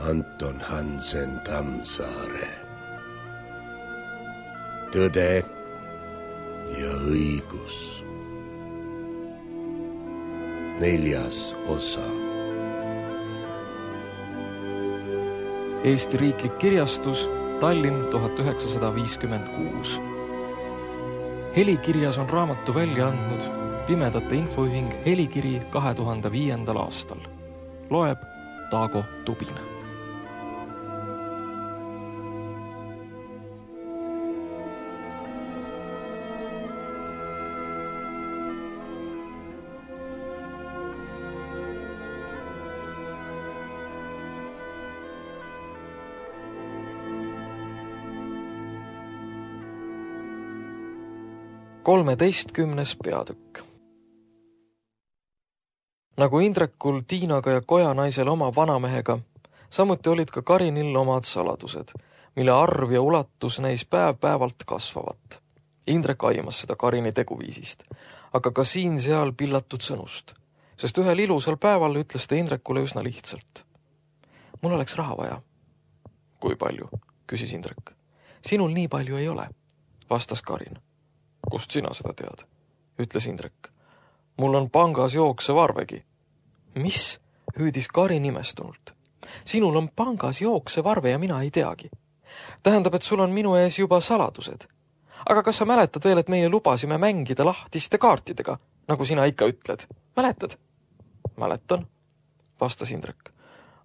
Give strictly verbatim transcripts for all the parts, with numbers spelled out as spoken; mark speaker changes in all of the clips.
Speaker 1: Anton Hansen Tammsaare. Tõde ja õigus. Neljas osa.
Speaker 2: Eesti riiklik kirjastus, Tallinn tuhat üheksasada viiskümmend kuus. Helikirjas on raamatu välja andnud Pimedate infoühing Helikiri kahe tuhande viiendal aastal. Loeb Taago Tubine. kolmeteistkümnes peatükk. Nagu Indrekul, Tiinaga ja Kojanaisel oma vanamehega, samuti olid ka Karinil omad saladused, mille arv ja ulatus neis päev-päevalt kasvavat. Indrek aimas seda Karini teguviisist, aga ka siin-seal pillatud sõnust, sest ühel ilusal päeval ütles ta Indrekule üsna lihtsalt. Mul oleks raha vaja. Kui palju? Küsis Indrek. Sinul nii palju ei ole, vastas Karin. Kust sina seda tead? Ütles Indrek. Mul on pangas jooksev arvegi. Mis? Hüüdis Karin imestunult. Sinul on pangas jooksev arve ja mina ei teagi. Tähendab, et sul on minu ees juba saladused. Aga kas sa mäletad veel, et meie lubasime mängida lahtiste kaartidega, nagu sina ikka ütled? Mäletad? Mäletan, vastas Indrek.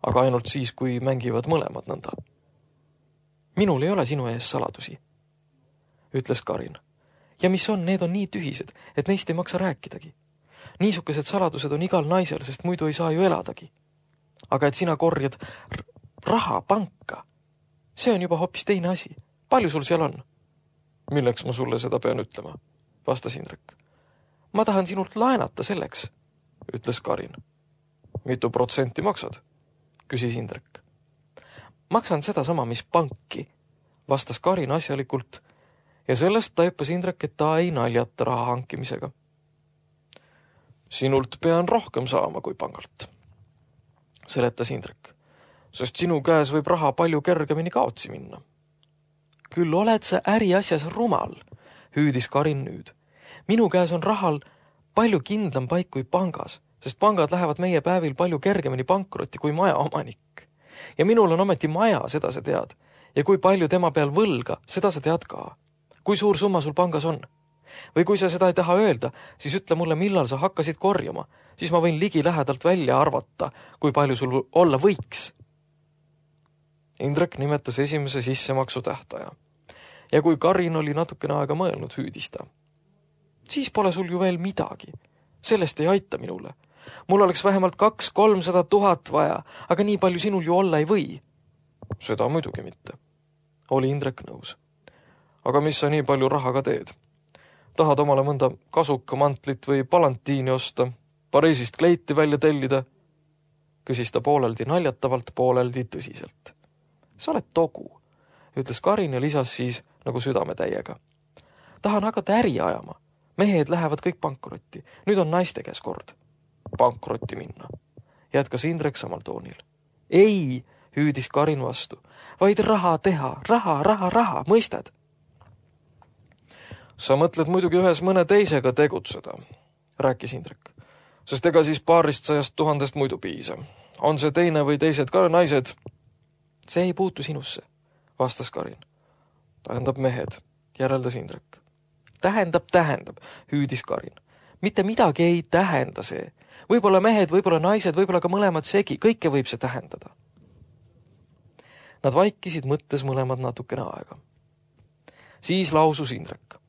Speaker 2: Aga ainult siis, kui mängivad mõlemad nõnda. Minul ei ole sinu ees saladusi, ütles Karin. Ja mis on, need on nii tühised, et neist ei maksa rääkidagi. Niisugused saladused on igal naisel, sest muidu ei saa ju eladagi. Aga et sina korjad raha panka, see on juba hoopis teine asi. Palju sul seal on? Milleks ma sulle seda pean ütlema, vastas Indrek. Ma tahan sinult laenata selleks, ütles Karin. Mitu protsenti maksad? Küsis Indrek. Maksan seda sama, mis panki, vastas Karin asjalikult, ja sellest taipas Indrek, et ta ei naljata raha hankimisega. Sinult pean rohkem saama kui pangalt, seletas Indrek, sest sinu käes võib raha palju kergemini kaotsi minna. Küll oled sa äriasjas rumal, hüüdis Karin nüüd. Minu käes on rahal palju kindlam paik kui pangas, sest pangad lähevad meie päevil palju kergemini pankrotti kui maja omanik. Ja minul on ometi maja, seda sa tead, ja kui palju tema peal võlga, seda sa tead ka. Kui suur summa sul pangas on? Või kui sa seda ei taha öelda, siis ütle mulle, millal sa hakkasid korjama, siis ma võin ligi lähedalt välja arvata, kui palju sul olla võiks. Indrek nimetas esimese sissemaksu tähtaja. Ja kui Karin oli natukene aega mõelnud, hüüdis ta. Siis pole sul ju veel midagi. Sellest ei aita minule. Mul oleks vähemalt kaks kolmsada tuhat vaja, aga nii palju sinul ju olla ei või. Seda muidugi mitte. Oli Indrek nõus. Aga mis sa nii palju rahaga teed? Tahad omale mõnda kasuka mantlit või palantiini osta, Pariisist kleiti välja tellida? Küsis ta pooleldi naljatavalt, pooleldi tõsiselt. Sa oled togu, ütles Karin ja lisas siis nagu südametäiega. Tahan hakata äri ajama. Mehed lähevad kõik pankrotti. Nüüd on naiste käes kord. Pankrotti minna. Jätkas Indrek samal toonil. Ei, hüüdis Karin vastu. Vaid raha teha. Raha, raha, raha. Mõistad? Sa mõtled muidugi ühes mõne teisega tegutseda, rääkis Indrek. Sest ega siis paarist sajast tuhandest muidu piisa. On see teine või teised ka naised? See ei puutu sinusse, vastas Karin. Tähendab mehed, järeldas Indrek. Tähendab, tähendab, hüüdis Karin. Mitte midagi ei tähenda see. Võib-olla mehed, võib-olla naised, võib-olla ka mõlemad segi. Kõike võib see tähendada. Nad vaikisid mõttes mõlemad natukene aega. Siis lausus Indrek.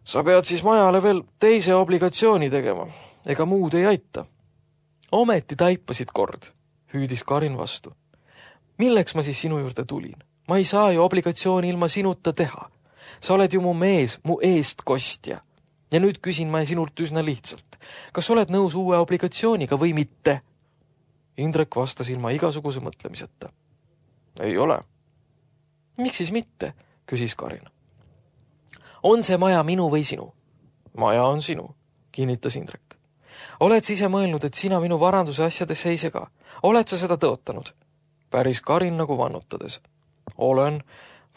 Speaker 2: Sa pead siis majale veel teise obligatsiooni tegema. Ega muud ei aita. Ometi taipasid kord, hüüdis Karin vastu. Milleks ma siis sinu juurde tulin? Ma ei saa ju obligatsiooni ilma sinuta teha. Sa oled ju mu mees, mu eest kostja. Ja nüüd küsin ma sinult üsna lihtsalt. Kas oled nõus uue obligatsiooniga või mitte? Indrek vastas ilma igasuguse mõtlemiseta. Ei ole. Miks siis mitte? Küsis Karin. On see maja minu või sinu? Maja on sinu, kinnitas Indrek. Oled sa ise mõelnud, et sina minu varanduse asjadesse ei sega? Oled sa seda tõotanud? päris Karin nagu vannutades. Olen,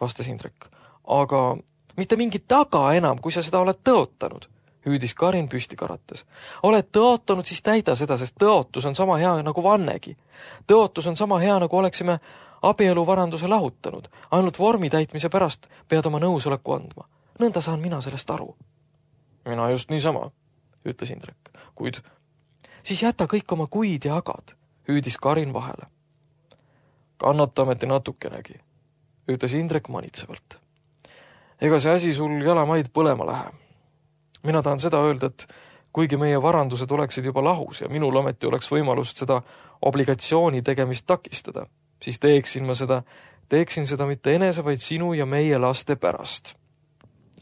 Speaker 2: vastas Indrek, aga mitte mingit taga enam, kui sa seda oled tõotanud, hüüdis Karin püsti karates. Oled tõotanud, siis täida seda, sest tõotus on sama hea nagu vannegi. Tõotus on sama hea, nagu oleksime abieluvaranduse lahutanud. Ainult vormi täitmise pärast pead oma nõusoleku andma. Nõnda saan mina sellest aru. Mina just niisama, ütles Indrek, kuid siis jäta kõik oma kuid ja agad, hüüdis Karin vahele. Kannata ometi natukenegi, ütles Indrek manitsevalt. Ega see asi sul jalamaid põlema lähe. Mina tahan seda öelda, et kuigi meie varandused oleksid juba lahus ja minul ometi oleks võimalust seda obligatsiooni tegemist takistada, siis teeksin ma seda, teeksin seda mitte enese, vaid sinu ja meie laste pärast.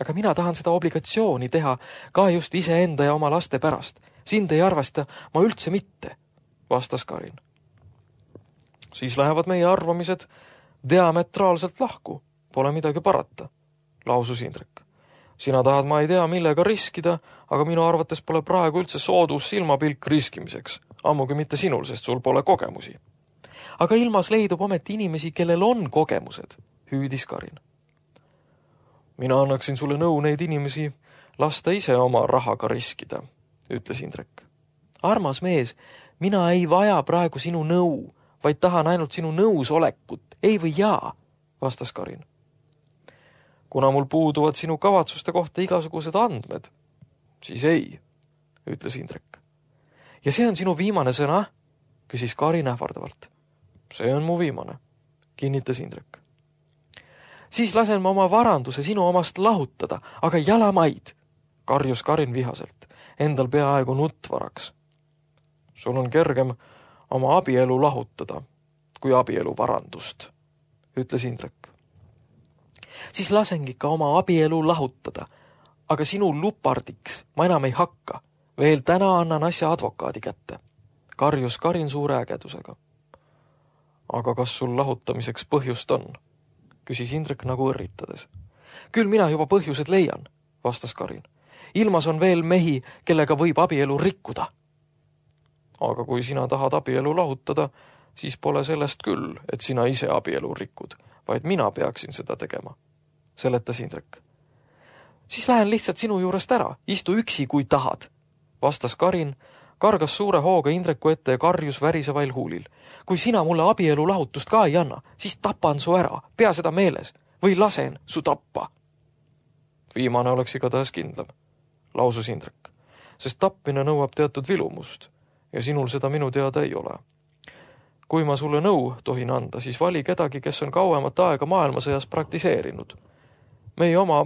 Speaker 2: Aga mina tahan seda obligatsiooni teha ka just iseenda ja oma laste pärast. Sind ei arvesta ma üldse mitte, vastas Karin. Siis lähevad meie arvamised diametraalselt lahku, pole midagi parata, lausus Indrek. Sina tahad, ma ei tea, millega riskida, aga minu arvates pole praegu üldse soodus silmapilk riskimiseks, ammugi mitte sinul, sest sul pole kogemusi. Aga ilmas leidub ometi inimesi, kellel on kogemused, hüüdis Karin. Mina annaksin sulle nõu neid inimesi lasta ise oma rahaga riskida, ütles Indrek. Armas mees, mina ei vaja praegu sinu nõu, vaid tahan ainult sinu nõusolekut, ei või jaa, vastas Karin. Kuna mul puuduvad sinu kavatsuste kohta igasugused andmed, siis ei, ütles Indrek. Ja see on sinu viimane sõna, küsis Karin ähvardavalt. See on mu viimane, kinnitas Indrek. Siis lasen ma oma varanduse sinu omast lahutada, aga jalamaid, karjus Karin vihaselt, endal peaaegu nuttvaraks. Sul on kergem oma abielu lahutada, kui abielu varandust, ütles Indrek. Siis lasengi ka oma abielu lahutada, aga sinu lupardiks ma enam ei hakka. Veel täna annan asja advokaadi kätte, karjus Karin suure ägedusega. Aga kas sul lahutamiseks põhjust on? Küsis Indrek nagu õrritades. Küll mina juba põhjused leian, vastas Karin. Ilmas on veel mehi, kellega võib abielu rikkuda. Aga kui sina tahad abielu lahutada, siis pole sellest küll, et sina ise abielu rikud, vaid mina peaksin seda tegema, seletas Indrek. Siis lähen lihtsalt sinu juurest ära, istu üksi, kui tahad, vastas Karin, kargas suure hooga Indreku ette ja karjus värisevail huulil. Kui sina mulle abielu lahutust ka ei anna, siis tapan su ära, pea seda meeles, või lasen su tappa. Viimane oleks igatahes kindlam, lausus Indrek, sest tappmine nõuab teatud vilumust ja sinul seda minu teada ei ole. Kui ma sulle nõu tohin anda, siis vali kedagi, kes on kauemat aega maailmasõjas praktiseerinud. Meie oma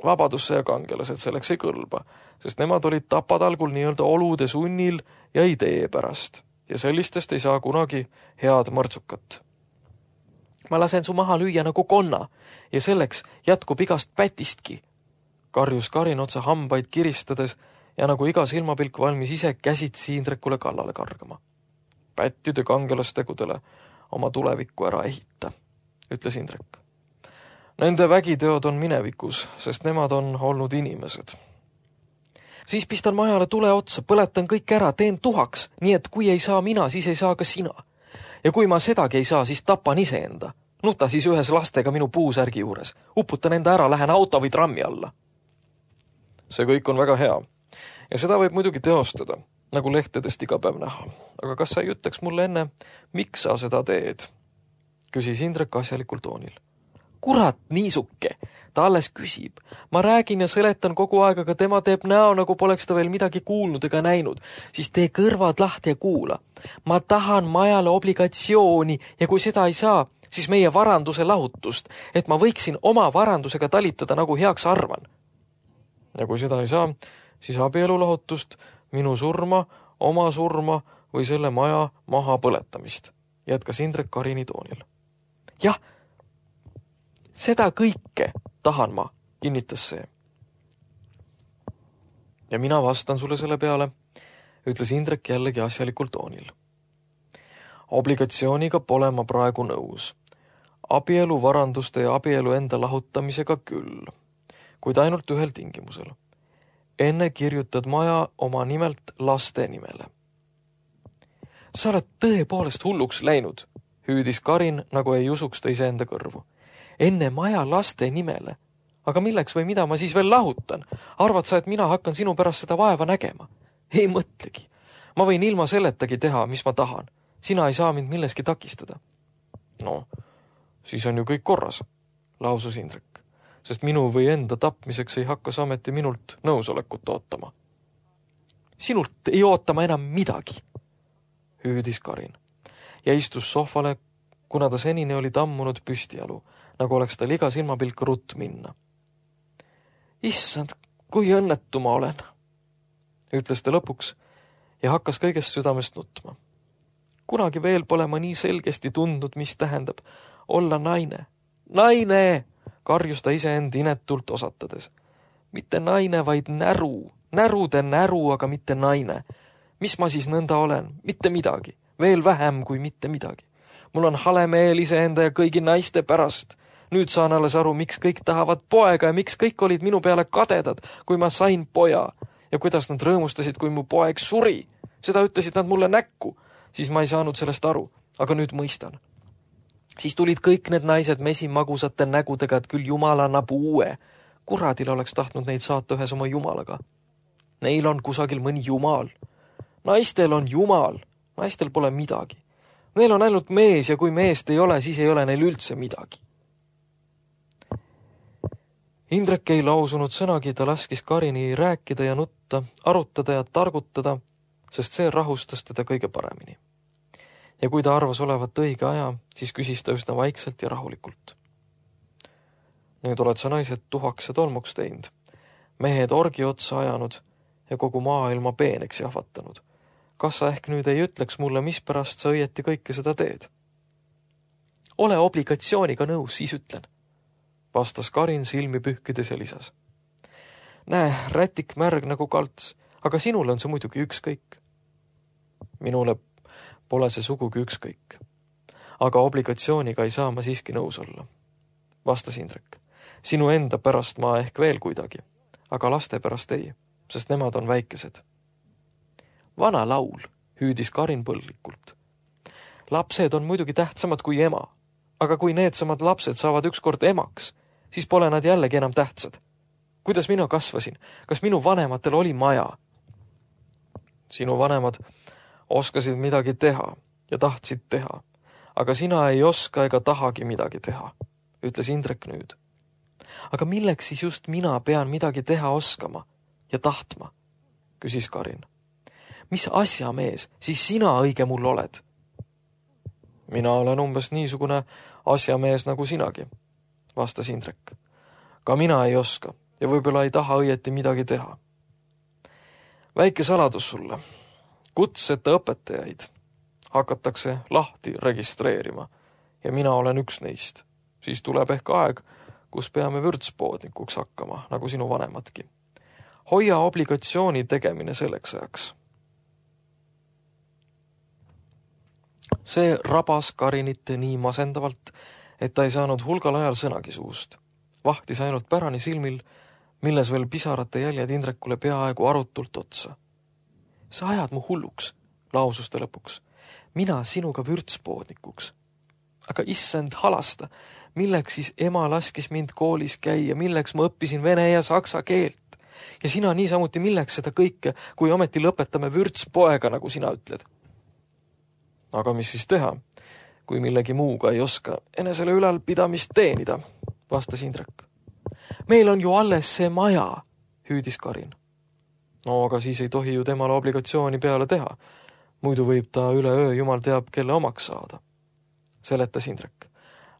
Speaker 2: vabadussõja kangelased selleks ei kõlba, sest nemad olid tapatalgul nii-öelda olude sunnil ja idee pärast ja sellistest ei saa kunagi head mõrtsukat. Ma lasen su maha lüüa nagu konna ja selleks jätkub igast pätistki, karjus Karin otsa hambaid kiristades ja nagu iga silmapilk valmis ise käsitsi Indrekule kallale kargama. Pättide kangelastegudele oma tulevikku ära ehita, ütles Indrek. Nende vägiteod on minevikus, sest nemad on olnud inimesed. Siis pistan majale tule otsa, põletan kõik ära, teen tuhaks, nii et kui ei saa mina, siis ei saa ka sina. Ja kui ma sedagi ei saa, siis tapan iseenda. Nuta siis ühes lastega minu puusärgi juures. Uputan enda ära, lähen auto või trammi alla. See kõik on väga hea. Ja seda võib muidugi teostada, nagu lehtedest iga päev näha. Aga kas sa ei ütleks mulle enne, miks sa seda teed? Küsis Indrek asjalikul toonil. Kurat, niisuke, ta alles küsib. Ma räägin ja seletan kogu aeg, aga tema teeb näo, nagu poleks ta veel midagi kuulnud ega näinud. Siis tee kõrvad lahti ja kuula. Ma tahan majale obligatsiooni ja kui seda ei saa, siis meie varanduse lahutust, et ma võiksin oma varandusega talitada, nagu heaks arvan. Ja kui seda ei saa, siis abielu lahutust, minu surma, oma surma või selle maja maha põletamist, jätkas Indrek Karini toonil. Jah, seda kõike tahan ma, kinnitas see. Ja mina vastan sulle selle peale, ütles Indrek jällegi asjalikul toonil. Obligatsiooniga pole ma praegu nõus. Abielu varanduste ja abielu enda lahutamisega küll, kuid ainult ühel tingimusel. Enne kirjutad maja oma nimelt laste nimele. Sa oled tõepoolest hulluks läinud, hüüdis Karin, nagu ei usuks ta iseenda kõrvu. Enne maja laste nimele. Aga milleks või mida ma siis veel lahutan? Arvad sa, et mina hakkan sinu pärast seda vaeva nägema? Ei mõtlegi. Ma võin ilma selletagi teha, mis ma tahan. Sina ei saa mind milleski takistada. No, siis on ju kõik korras, lausus Indrek, sest minu või enda tapmiseks ei hakka sameti minult nõusolekut ootama. Sinult ei ootama enam midagi, hüüdis Karin ja istus sohvale, kuna ta senini oli tammunud püstijalu, nagu oleks tal iga silmapilk rutt minna. Issand, kui õnnetu ma olen, ütles ta lõpuks ja hakkas kõigest südamest nutma. Kunagi veel pole ma nii selgesti tundnud, mis tähendab olla naine. Naine, karjus ta iseend inetult osatades. Mitte naine, vaid näru. Närude näru, aga mitte naine. Mis ma siis nõnda olen? Mitte midagi. Veel vähem kui mitte midagi. Mul on hale meel iseenda ja kõigi naiste pärast. Nüüd saan alles aru, miks kõik tahavad poega ja miks kõik olid minu peale kadedad, kui ma sain poja. Ja kuidas nad rõõmustasid, kui mu poeg suri. Seda ütlesid nad mulle näkku. Siis ma ei saanud sellest aru, aga nüüd mõistan. Siis tulid kõik need naised mesimagusate nägudega, et küll Jumal annab uue. Kuradil oleks tahtnud neid saata ühes oma Jumalaga. Neil on kusagil mõni Jumal. Naistel on Jumal. Naistel pole midagi. Neil on ainult mees ja kui meest ei ole, siis ei ole neil üldse midagi. Indrek ei lausunud sõnagi, ta laskis Karini rääkida ja nutta, arutada ja targutada, sest see rahustas teda kõige paremini. Ja kui ta arvas olevat õige aja, siis küsis ta üsna vaikselt ja rahulikult. Nüüd oled sa naised tuhaks ja tolmuks teinud, mehed orgi otsa ajanud ja kogu maailma peeneks jahvatanud. Kas sa ehk nüüd ei ütleks mulle, mispärast sa õieti kõike seda teed? Ole obligatsiooniga nõus, siis ütlen, vastas Karin silmi pühkides ja lisas. Näe, rätik märg nagu kalts, aga sinule on see muidugi ükskõik. Minule pole see sugugi ükskõik. Aga obligatsiooniga ei saa ma siiski nõus olla, vastas Indrek. Sinu enda pärast ma ehk veel kuidagi, aga laste pärast ei, sest nemad on väikesed. Vana laul, hüüdis Karin põlglikult. Lapsed on muidugi tähtsamad kui ema, aga kui needsamad lapsed saavad ükskord emaks, siis pole nad jällegi enam tähtsad. Kuidas mina kasvasin? Kas minu vanematel oli maja? Sinu vanemad oskasid midagi teha ja tahtsid teha, aga sina ei oska ega tahagi midagi teha, ütles Indrek nüüd. Aga milleks siis just mina pean midagi teha oskama ja tahtma, küsis Karin. Mis asjamees siis sina õige mul oled? Mina olen umbes niisugune asjamees nagu sinagi, vastas Indrek. Ka mina ei oska ja võib-olla ei taha õieti midagi teha. Väike saladus sulle. Kutseta õpetajaid hakatakse lahti registreerima ja mina olen üks neist. Siis tuleb ehk aeg, kus peame vürtspoodnikuks hakkama, nagu sinu vanemadki. Hoia obligatsiooni tegemine selleks ajaks. See rabas Karinit nii masendavalt, et ta ei saanud hulgal ajal sõnagi suust. Vahtis ainult pärani silmil, milles veel pisarate jäljed Indrekule peaaegu arutult otsa. Sa ajad mu hulluks, lausus ta lõpuks. Mina sinuga vürtspoodnikuks. Aga issand halasta, milleks siis ema laskis mind koolis käia, milleks ma õppisin vene ja saksa keelt. Ja sina niisamuti milleks seda kõike, kui ometi lõpetame vürtspoega, nagu sina ütled. Aga mis siis teha, kui millegi muuga ei oska enesele ülalpidamist teenida, vastas Indrek. Meil on ju alles see maja, hüüdis Karin. No aga siis ei tohi ju temale obligatsiooni peale teha. Muidu võib ta üle öö jumal teab, kelle omaks saada. Seletas Indrek.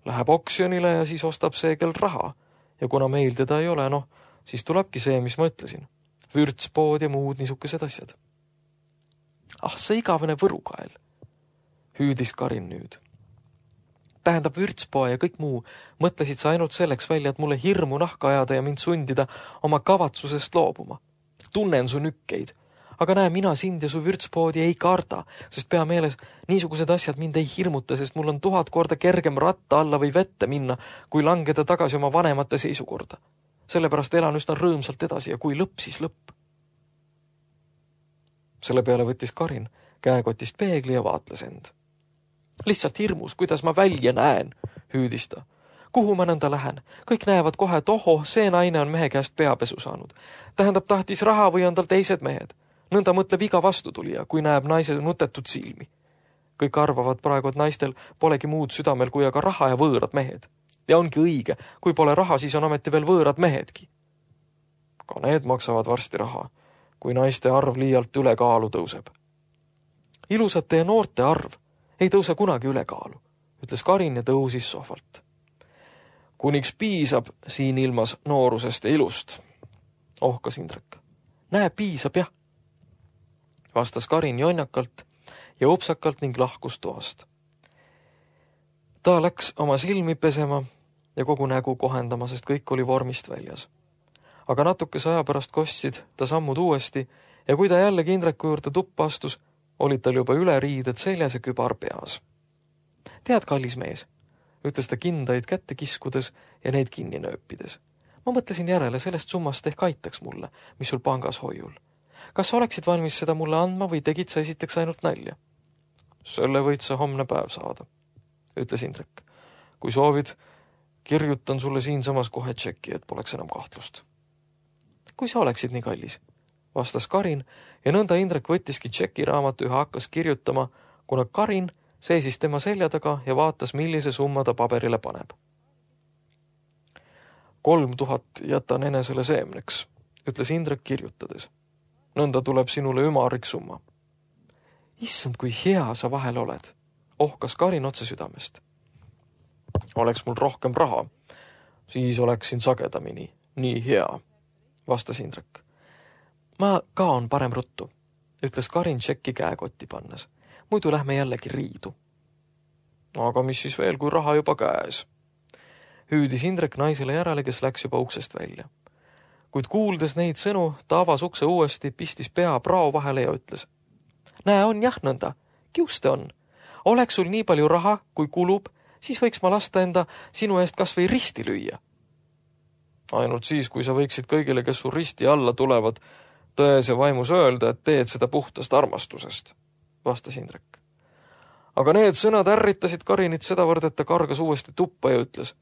Speaker 2: Läheb oksjonile ja siis ostab see, kel raha. Ja kuna meil teda ei ole, noh, siis tulebki see, mis ma ütlesin. Vürtspood ja muud niisugused asjad. Ah, see igavene võrukael, hüüdis Karin nüüd. Tähendab vürtspoa ja kõik muu, mõtlesid sa ainult selleks välja, et mulle hirmu nahka ajada ja mind sundida oma kavatsusest loobuma. Tunnen su nükkeid, aga näe, mina sind ja su vürtspoodi ei karda, sest pea meeles niisugused asjad mind ei hirmuta, sest mul on tuhat korda kergem ratta alla või vette minna, kui langeda tagasi oma vanemate seisukorda. Sellepärast elan üsna rõõmsalt edasi ja kui lõpp, siis lõpp. Selle peale võttis Karin käekotist peegli ja vaatles end. Lihtsalt hirmus, kuidas ma välja näen, hüüdis ta. Kuhu ma nõnda lähen? Kõik näevad kohe, et oho, see naine on mehe käest peapesu saanud. Tähendab, tahtis raha või on tal teised mehed. Nõnda mõtleb iga vastutulija, kui näeb naise nutetut silmi. Kõik arvavad praegu, et naistel polegi muud südamel kui aga raha ja võõrad mehed. Ja ongi õige, kui pole raha, siis on ometi veel võõrad mehedki. Ka need maksavad varsti raha, kui naiste arv liialt ülekaalu tõuseb. Ilusate ja noorte arv ei tõuse kunagi ülekaalu, ütles Karin ja tõusis sohvalt. Kuniks piisab siin ilmas noorusest ja ilust, ohkas Indrek. Näe, piisab jah, vastas Karin jonjakalt ja upsakalt ning lahkus toast. Ta läks oma silmi pesema ja kogu nägu kohendama, sest kõik oli vormist väljas. Aga natukese aja pärast kostsid ta sammud uuesti ja kui ta jällegi Indreku juurde tuppa astus, olid tal juba üle riided seljas ja kübar peas. Tead, kallis mees, ütles ta kindaid kätte kiskudes ja neid kinni nööpides. Ma mõtlesin järele, sellest summast ehk aitaks mulle, mis sul pangas hoiul. Kas sa oleksid valmis seda mulle andma või tegid sa esiteks ainult nalja? Selle võid sa homne päev saada, ütles Indrek. Kui soovid, kirjutan sulle siinsamas kohe tšeki, et poleks enam kahtlust. Kui sa oleksid nii kallis, vastas Karin ja nõnda Indrek võttiski tšekiraamatu ja hakkas kirjutama, kuna Karin seisis tema selja taga ja vaatas, millise summa ta paberile paneb. Kolm tuhat jätan enesele seemneks, ütles Indrek kirjutades. Nõnda tuleb sinule ümarik summa. Issand, kui hea sa vahel oled, ohkas Karin otse südamest. Oleks mul rohkem raha, siis oleksin sagedamini nii hea, vastas Indrek. Ma kaon parem ruttu, ütles Karin tšekki käekotti pannes. Muidu lähme jällegi riidu. Aga mis siis veel, kui raha juba käes? Hüüdis Indrek naisele järele, kes läks juba uksest välja. Kuid kuuldes neid sõnu, ta avas ukse uuesti, pistis pea prao vahele ja ütles. Näe, on jah nõnda, kiuste on. Oleks sul nii palju raha, kui kulub, siis võiks ma lasta enda sinu eest kas või risti lüüa. Ainult siis, kui sa võiksid kõigile, kes su risti alla tulevad, tões ja vaimus öelda, et teed seda puhtast armastusest, vastas Indrek. Aga need sõnad ärritasid Karinit sedavõrd, et ta kargas uuesti tuppa ja ütles.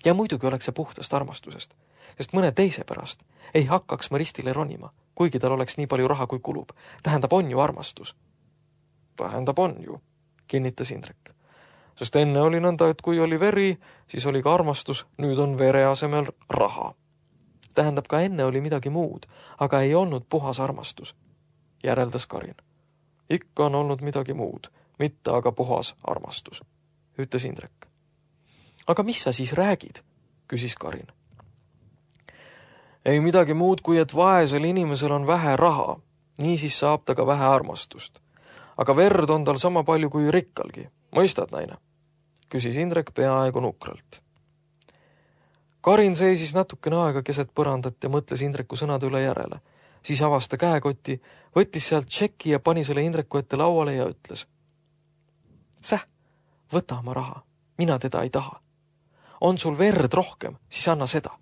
Speaker 2: Ja muidugi oleks see puhtast armastusest, sest mõne teise pärast ei hakkaks ma ristile ronima, kuigi tal oleks nii palju raha, kui kulub. Tähendab, on ju armastus. Tähendab, on ju, kinnitas Indrek. Sest enne oli nõnda, et kui oli veri, siis oli ka armastus, nüüd on vere asemel raha. Tähendab, ka enne oli midagi muud, aga ei olnud puhas armastus, järeldas Karin. Ikka on olnud midagi muud, mitte aga puhas armastus, ütles Indrek. Aga mis sa siis räägid, küsis Karin. Ei midagi muud, kui et vaesel inimesel on vähe raha, nii siis saab ta ka vähe armastust. Aga verd on tal sama palju kui rikkalgi, mõistad, naine? Küsis Indrek peaaegu nukralt. Karin seisis natukene aega keset põrandat ja mõtles Indreku sõnade üle järele. Siis avas ta käekotti, võttis sealt tšeki ja pani selle Indreku ette lauale ja ütles. Säh, võta oma raha, mina teda ei taha. On sul verd rohkem, siis anna seda.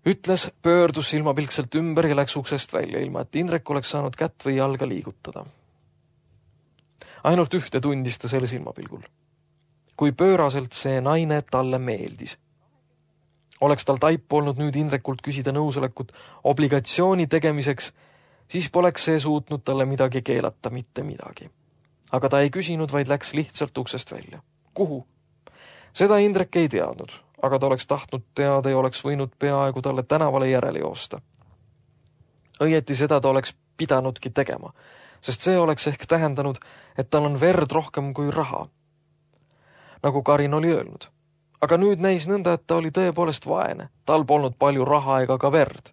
Speaker 2: Ütles, pöördus silmapilkselt ümber ja läks uksest välja, ilma et Indrek oleks saanud kätt või jalga liigutada. Ainult ühte tundis ta selle silmapilgul. Kui pööraselt see naine talle meeldis. Oleks tal taip olnud nüüd Indrekult küsida nõusolekut obligatsiooni tegemiseks, siis poleks see suutnud talle midagi keelata, mitte midagi. Aga ta ei küsinud, vaid läks lihtsalt uksest välja. Kuhu? Seda Indrek ei teadnud, aga ta oleks tahtnud teada ja oleks võinud peaaegu talle tänavale järele joosta. Õieti seda ta oleks pidanudki tegema, sest see oleks ehk tähendanud, et tal on verd rohkem kui raha. Nagu Karin oli öelnud. Aga nüüd näis nõnda, et ta oli tõepoolest vaene, tal polnud palju raha ega ka verd.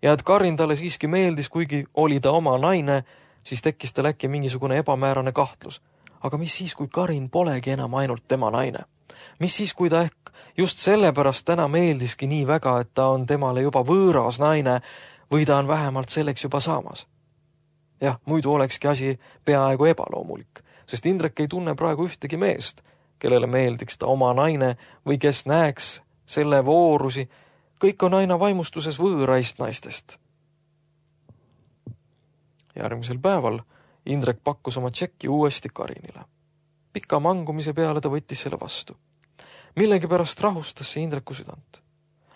Speaker 2: Ja et Karin talle siiski meeldis, kuigi oli ta oma naine, siis tekkis tal äkki mingisugune ebamäärane kahtlus. Aga mis siis, kui Karin polegi enam ainult tema naine? Mis siis, kui ta ehk just sellepärast täna meeldiski nii väga, et ta on temale juba võõras naine või ta on vähemalt selleks juba saamas? Jah, muidu olekski asi peaaegu ebaloomulik, sest Indrek ei tunne praegu ühtegi meest, kellele meeldiks ta oma naine või kes näeks selle voorusi, kõik on aina vaimustuses võõraist naistest. Järgmisel päeval Indrek pakkus oma tšekki uuesti Karinile. Pika mangumise peale ta võttis selle vastu. Millegi pärast rahustas see Indreku südant.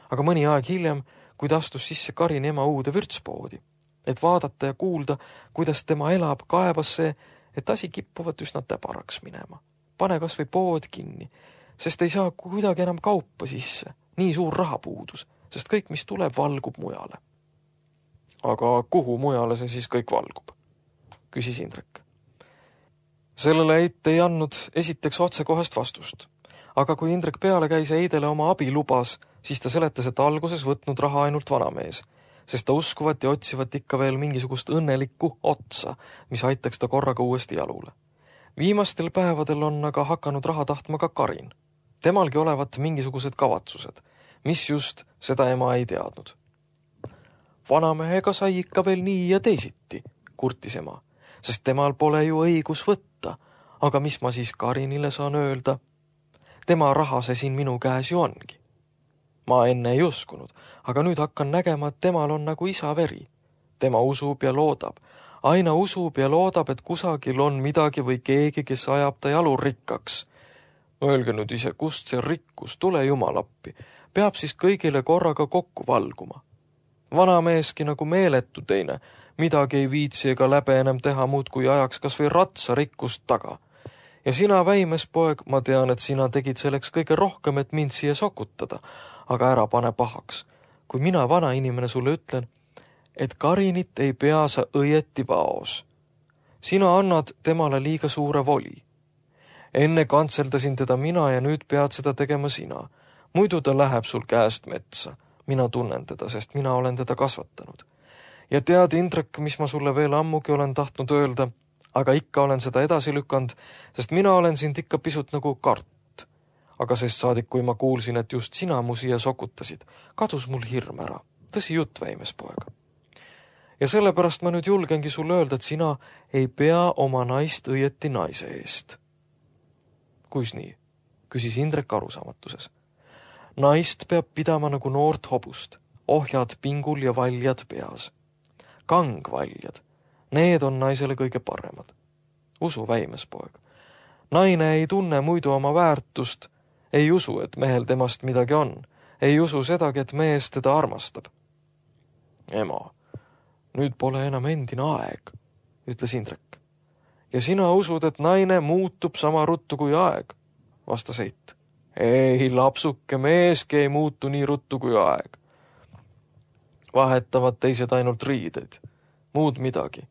Speaker 2: Aga mõni aeg hiljem, kui ta astus sisse Karini ema uude vürtspoodi, et vaadata ja kuulda, kuidas tema elab, kaebas see, et asi kippuvat üsna täbaraks minema. Pane kas või pood kinni, sest ei saa kuidagi enam kaupa sisse. Nii suur rahapuudus, sest kõik, mis tuleb, valgub mujale. Aga kuhu mujale see siis kõik valgub? Küsis Indrek. Sellele Eit ei andnud esiteks otsekohest vastust. Aga kui Indrek peale käis ja Eidele oma abi lubas, siis ta seletas, et alguses võtnud raha ainult vanamees, sest ta uskuvat ja otsivat ikka veel mingisugust õnnelikku otsa, mis aitaks ta korraga uuesti jalule. Viimastel päevadel on aga hakanud raha tahtma ka Karin. Temalgi olevat mingisugused kavatsused, mis just seda ema ei teadnud. Vanamehega sai ikka veel nii ja teisiti, kurtis ema, sest temal pole ju õigus võtta, aga mis ma siis Karinile saan öelda? Tema raha see siin minu käes ju ongi. Ma enne ei uskunud, aga nüüd hakkan nägema, et temal on nagu isa veri. Tema usub ja loodab. Aina usub ja loodab, et kusagil on midagi või keegi, kes ajab ta jalu rikkaks. Öelge nüüd ise, kust see rikkus, tule jumalappi. Peab siis kõigile korraga kokku valguma. Vanameeski nagu meeletu teine, midagi ei viitsi ega läbe enam teha muud kui ajaks kas või ratsa rikkust taga. Ja sina, väimes poeg, ma tean, et sina tegid selleks kõige rohkem, et mind siia sokutada, aga ära pane pahaks. Kui mina vana inimene sulle ütlen, et Karinit ei pea sa õieti vaos. Sina annad temale liiga suure voli. Enne kantseldasin teda mina ja nüüd pead seda tegema sina. Muidu ta läheb sul käest metsa. Mina tunnen teda, sest mina olen teda kasvatanud. Ja tead, Indrek, mis ma sulle veel ammugi olen tahtnud öelda, aga ikka olen seda edasi lükanud, sest mina olen sind ikka pisut nagu kart. Aga sest saadik, kui ma kuulsin, et just sina mu siia sokutasid, kadus mul hirm ära. Tõsi jutt, väimes poeg. Ja sellepärast ma nüüd julgengi sulle öelda, et sina ei pea oma naist õieti naise eest. Kuis nii? Küsis Indrek arusaamatuses. Naist peab pidama nagu noort hobust, ohjad pingul ja valjad peas. Kangvaljad, need on naisele kõige paremad. Usu, väimes poeg. Naine ei tunne muidu oma väärtust, ei usu, et mehel temast midagi on, ei usu sedagi, et mees teda armastab. Ema, nüüd pole enam endine aeg, ütles Indrek. Ja sina usud, et naine muutub sama ruttu kui aeg, vastas Eit. Ei, lapsuke, meeski ei muutu nii ruttu kui aeg. Vahetavad teised ainult riideid, muud midagi.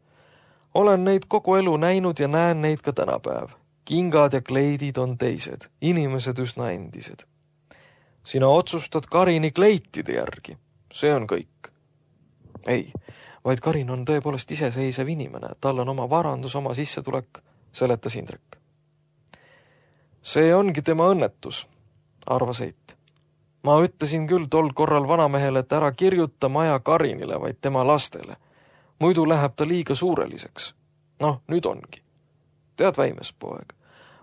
Speaker 2: Olen neid kogu elu näinud ja näen neid ka tänapäev. Kingad ja kleidid on teised, inimesed üsna endised. Sina otsustad Karini kleitide järgi, see on kõik. Ei, vaid Karin on tõepoolest iseseisev inimene, tal on oma varandus, oma sissetulek, seletas Indrek. See ongi tema õnnetus, arvas Eit. Ma ütlesin küll tol korral vanamehele, et ära kirjuta maja Karinile, vaid tema lastele. Muidu läheb ta liiga suureliseks. Noh, nüüd ongi. Tead, väimes poeg,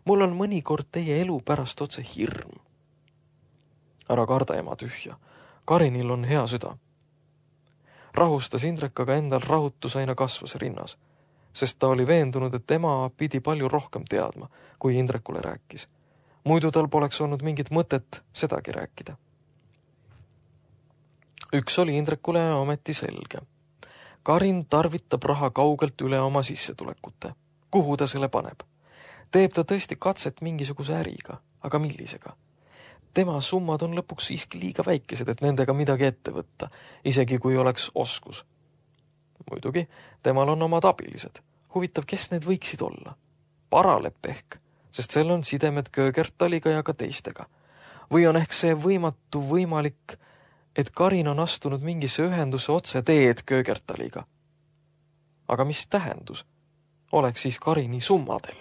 Speaker 2: mul on mõnikord teie elu pärast otse hirm. Ära karda, ema tühja. Karinil on hea süda. Rahustas Indrek, aga endal rahutus aina kasvas rinnas, sest ta oli veendunud, et tema pidi palju rohkem teadma, kui Indrekule rääkis. Muidu tal poleks olnud mingit mõtet sedagi rääkida. Üks oli Indrekule ometi selge. Karin tarvitab raha kaugelt üle oma sissetulekute. Kuhu ta selle paneb? Teeb ta tõesti katset mingisuguse äriga, aga millisega? Tema summad on lõpuks siiski liiga väikesed, et nendega midagi ette võtta, isegi kui oleks oskus. Muidugi, temal on omad abilised. Huvitav, kes need võiksid olla? Paralep ehk, sest sel on sidemed Köögertaliga ja ka teistega. Või on ehk see võimatu võimalik, et Karin on astunud mingisse ühenduse otse teed Köögertaliga. Aga mis tähendus? Oleks siis Karini summadel?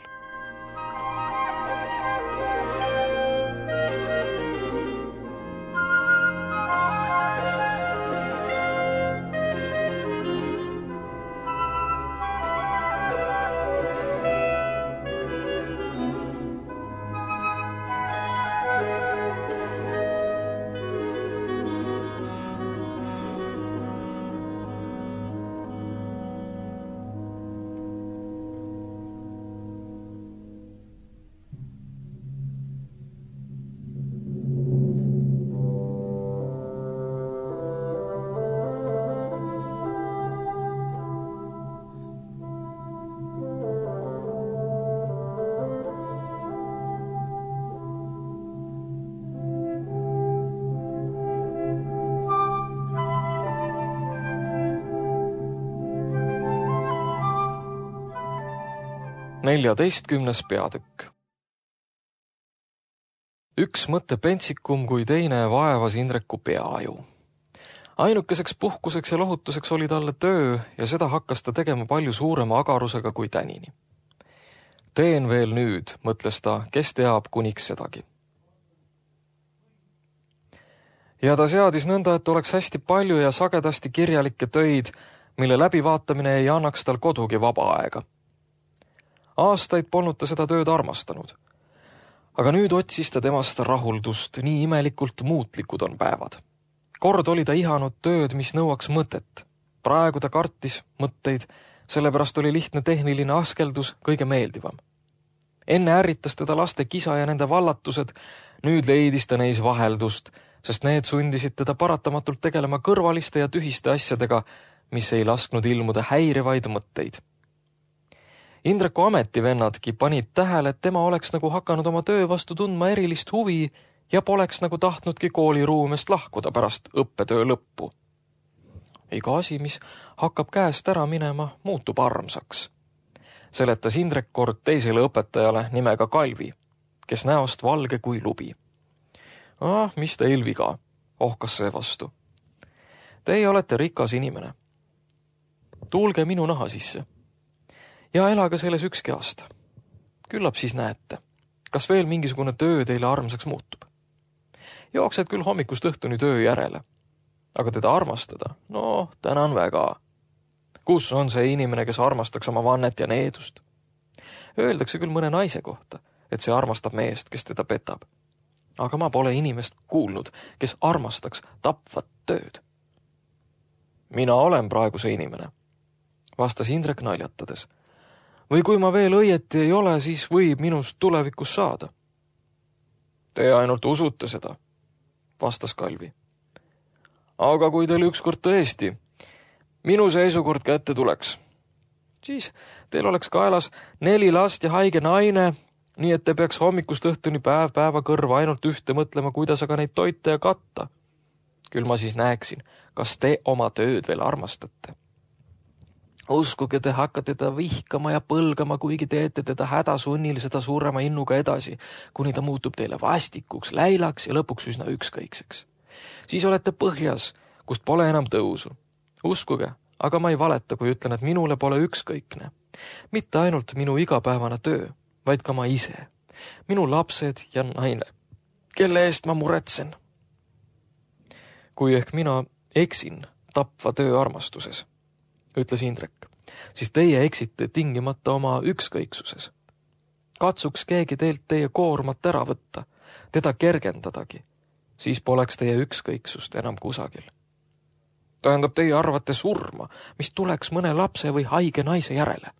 Speaker 2: neljateistkümnes peatükk. Üks mõtte pentsikum kui teine vaevas Indreku peaaju. Ainukeseks puhkuseks ja lohutuseks oli talle töö ja seda hakkas ta tegema palju suurema agarusega kui tänini. Teen veel nüüd, mõtles ta, kes teab kuniks sedagi. Ja ta seadis nõnda, et oleks hästi palju ja sagedasti kirjalikke töid, mille läbivaatamine ei annaks tal kodugi vaba aega. Aastaid polnud ta seda tööd armastanud. Aga nüüd otsis ta temast rahuldust, nii imelikult muutlikud on päevad. Kord oli ta ihanud tööd, mis nõuaks mõtet. Praegu ta kartis mõtteid, sellepärast oli lihtne tehniline askeldus kõige meeldivam. Enne ärritas teda laste kisa ja nende vallatused, nüüd leidis ta neis vaheldust, sest need sundisid teda paratamatult tegelema kõrvaliste ja tühiste asjadega, mis ei lasknud ilmuda häirivaid mõtteid. Indreku ametivennadki panid tähele, et tema oleks nagu hakanud oma töö vastu tundma erilist huvi ja poleks nagu tahtnudki kooliruumest lahkuda pärast õppetöö lõppu. Iga asi, mis hakkab käest ära minema, muutub armsaks. Seletas Indrek kord teisele õpetajale nimega Kalvi, kes näost valge kui lubi. Ah, mis teil viga, ohkas see vastu. Teie olete rikas inimene. Tuulge minu naha sisse. Ja elage selles ükski aasta. Küllap siis näete, kas veel mingisugune töö teile armsaks muutub. Jooksed küll hommikust õhtuni töö järele, aga teda armastada, no tänan väga. Kus on see inimene, kes armastaks oma vannet ja needust? Öeldakse küll mõne naise kohta, et see armastab meest, kes teda petab. Aga ma pole inimest kuulnud, kes armastaks tapvat tööd. Mina olen praegu see inimene, vastas Indrek naljatades. Või kui ma veel õieti ei ole, siis võib minust tulevikus saada. Te ainult usute seda, vastas Kalvi. Aga kui teil ükskord tõesti minu seisukord kätte tuleks, siis teil oleks kaelas neli last ja haige naine, nii et te peaks hommikust õhtuni päev päeva kõrva ainult ühte mõtlema, kuidas aga neid toita ja katta. Küll ma siis näeksin, kas te oma tööd veel armastate. Uskuge, te hakkate teda vihkama ja põlgama, kuigi teete teda hädasunnil seda suurema innuga edasi, kuni ta muutub teile vastikuks, läilaks ja lõpuks üsna ükskõikseks. Siis olete põhjas, kust pole enam tõusu. Uskuge, aga ma ei valeta, kui ütlen, et minule pole ükskõikne. Mitte ainult minu igapäevane töö, vaid ka ma ise. Minu lapsed ja naine, kelle eest ma muretsen. Kui ehk mina eksin tapva töö armastuses, ütles Indrek, siis teie eksite tingimata oma ükskõiksuses. Katsuks keegi teilt teie koormat ära võtta, teda kergendadagi, siis poleks teie ükskõiksust enam kusagil. Tähendab, teie arvate surma, mis tuleks mõne lapse või haige naise järele,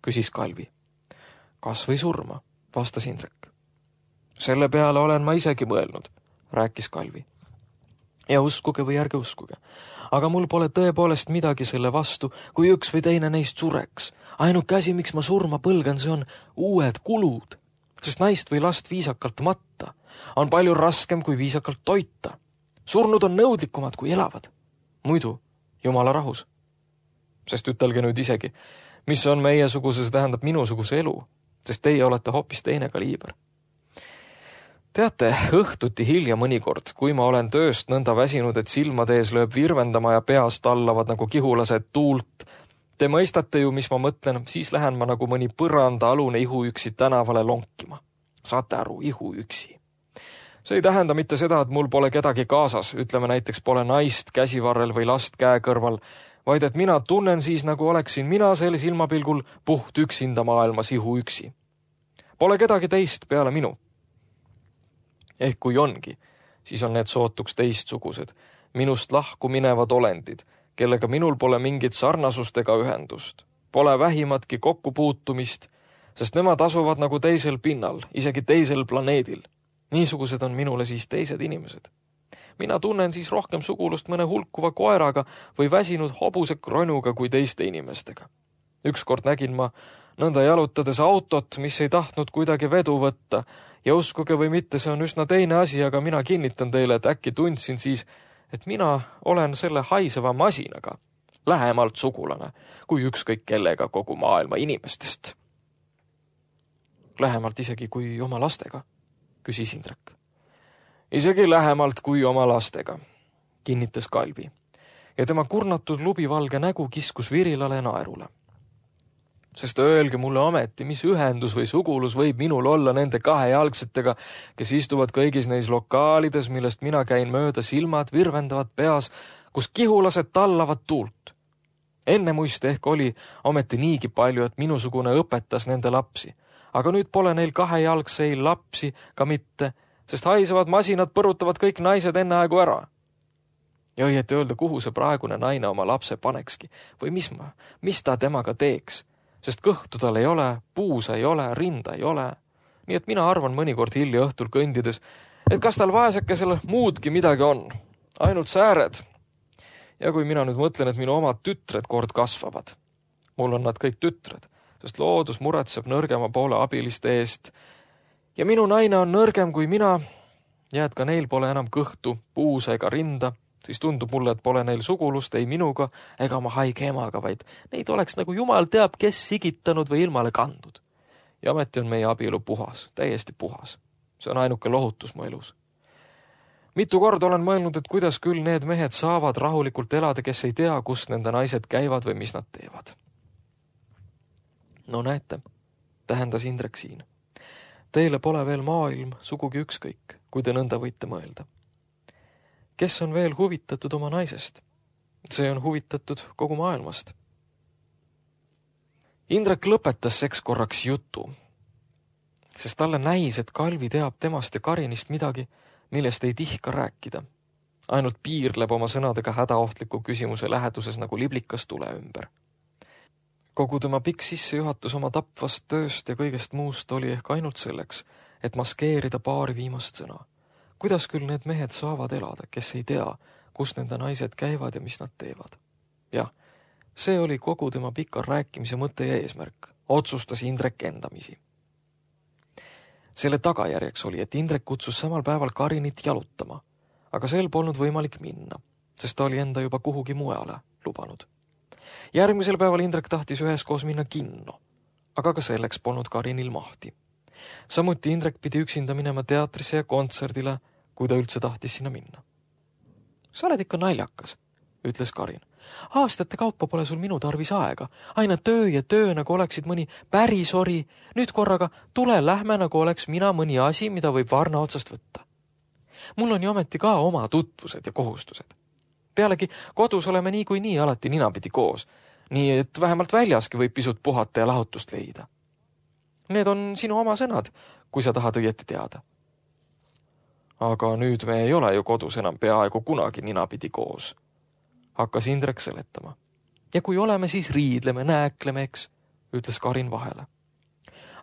Speaker 2: küsis Kalvi. Kas või surma, vastas Indrek. Selle peale olen ma isegi mõelnud, rääkis Kalvi. Ja uskuge või ärge uskuge, aga mul pole tõepoolest midagi selle vastu, kui üks või teine neist sureks. Ainuke asi, miks ma surma põlgan, see on uued kulud, sest naist või last viisakalt matta on palju raskem kui viisakalt toita. Surnud on nõudlikumad kui elavad. Muidu, jumala rahus. Sest ütelge nüüd isegi, mis on meiesuguse, see tähendab minusuguse elu, sest teie olete hoopis teine kaliiber. Teate, õhtuti hilja mõnikord, kui ma olen tööst nõnda väsinud, et silmade ees lööb virvendama ja peast allavad nagu kihulased tuult. Te mõistate ju, mis ma mõtlen, siis lähen ma nagu mõni põranda alune ihuüksi tänavale lonkima. Saate aru, ihuüksi. See ei tähenda mitte seda, et mul pole kedagi kaasas, ütleme näiteks pole naist käsivarrel või last käe kõrval, vaid et mina tunnen siis, nagu oleksin mina sel silmapilgul puht üksinda maailmas ihuüksi. Pole kedagi teist peale minu. Ehk kui ongi, siis on need sootuks teistsugused, minust lahku minevad olendid, kellega minul pole mingit sarnasust ega ühendust. Pole vähimatki kokkupuutumist, sest nemad asuvad nagu teisel pinnal, isegi teisel planeedil. Niisugused on minule siis teised inimesed. Mina tunnen siis rohkem sugulust mõne hulkuva koeraga või väsinud hobuse kronuga kui teiste inimestega. Ükskord nägin ma nõnda jalutades autot, mis ei tahtnud kuidagi vedu võtta, ja uskuge või mitte, see on üsna teine asi, aga mina kinnitan teile, et äkki tundsin siis, et mina olen selle haiseva masinaga lähemalt sugulane kui ükskõik kellega kogu maailma inimestest. Lähemalt isegi kui oma lastega, küsis Indrek. Isegi lähemalt kui oma lastega, kinnitas Kalvi. Ja tema kurnatud lubivalge nägu kiskus virilale naerule. Sest öelge mulle ometi, mis ühendus või sugulus võib minul olla nende kahejalgsetega, kes istuvad kõigis neis lokaalides, millest mina käin mööda, silmad virvendavad peas, kus kihulased tallavad tuult. Enne muiste ehk oli ometi niigi palju, et minusugune õpetas nende lapsi. Aga nüüd pole neil kahejalgseil lapsi ka mitte, sest haisevad masinad põrutavad kõik naised enne aegu ära. Ja õieti öelda, kuhu see praegune naine oma lapse panekski või mis, ma, mis ta temaga teeks, sest kõhtu tal ei ole, puusa ei ole, rinda ei ole. Nii et mina arvan mõnikord hilja õhtul kõndides, et kas tal vaesekesel muudki midagi on, ainult sääred. Ja kui mina nüüd mõtlen, et minu omad tütred kord kasvavad, mul on nad kõik tütred, sest loodus muretseb nõrgema poole abiliste eest ja minu naine on nõrgem kui mina ja et ka neil pole enam kõhtu, puusa ega rinda, siis tundub mulle, et pole neil sugulust ei minuga ega oma haige emaga, vaid neid oleks nagu jumal teab, kes sigitanud või ilmale kandnud. Ja ometi on meie abielu puhas, täiesti puhas. See on ainuke lohutus mu elus. Mitu korda olen mõelnud, et kuidas küll need mehed saavad rahulikult elada, kes ei tea, kus nende naised käivad või mis nad teevad. No näete, tähendas Indrek siin. Teile pole veel maailm sugugi ükskõik, kui te nõnda võite mõelda. Kes on veel huvitatud oma naisest? See on huvitatud kogu maailmast. Indrek lõpetas seks korraks jutu, sest talle näis, et Kalvi teab temast ja Karinist midagi, millest ei tihka rääkida. Ainult piirleb oma sõnadega hädaohtliku küsimuse läheduses nagu liblikas tule ümber. Kogu tema pikk sissejuhatus oma tapvast tööst ja kõigest muust oli ehk ainult selleks, et maskeerida paari viimast sõna. Kuidas küll need mehed saavad elada, kes ei tea, kus nende naised käivad ja mis nad teevad? Jah, see oli kogu tema pika rääkimise mõte ja eesmärk, otsustas Indrek endamisi. Selle tagajärjeks oli, et Indrek kutsus samal päeval Karinit jalutama, aga sel polnud võimalik minna, sest ta oli enda juba kuhugi mujale lubanud. Järgmisel päeval Indrek tahtis üheskoos minna kinno, aga ka selleks polnud Karinil mahti. Samuti Indrek pidi üksinda minema teatrisse ja kontserdile, kui ta üldse tahtis sinna minna. Sa oled ikka naljakas, ütles Karin. Aastate kaupa pole sul minu tarvis aega. Aina töö ja töö, nagu oleksid mõni pärisori. Nüüd korraga tule lähme, nagu oleks mina mõni asi, mida võib varna otsast võtta. Mul on ju ometi ka oma tutvused ja kohustused. Pealegi kodus oleme nii kui nii alati ninapidi koos, nii et vähemalt väljaski võib pisut puhata ja lahutust leida. Need on sinu oma sõnad, kui sa tahad õieti teada. Aga nüüd me ei ole ju kodus enam peaaegu kunagi ninapidi koos. Hakkas Indrek seletama. Ja kui oleme, siis riidleme, nääkleme, eks, ütles Karin vahele.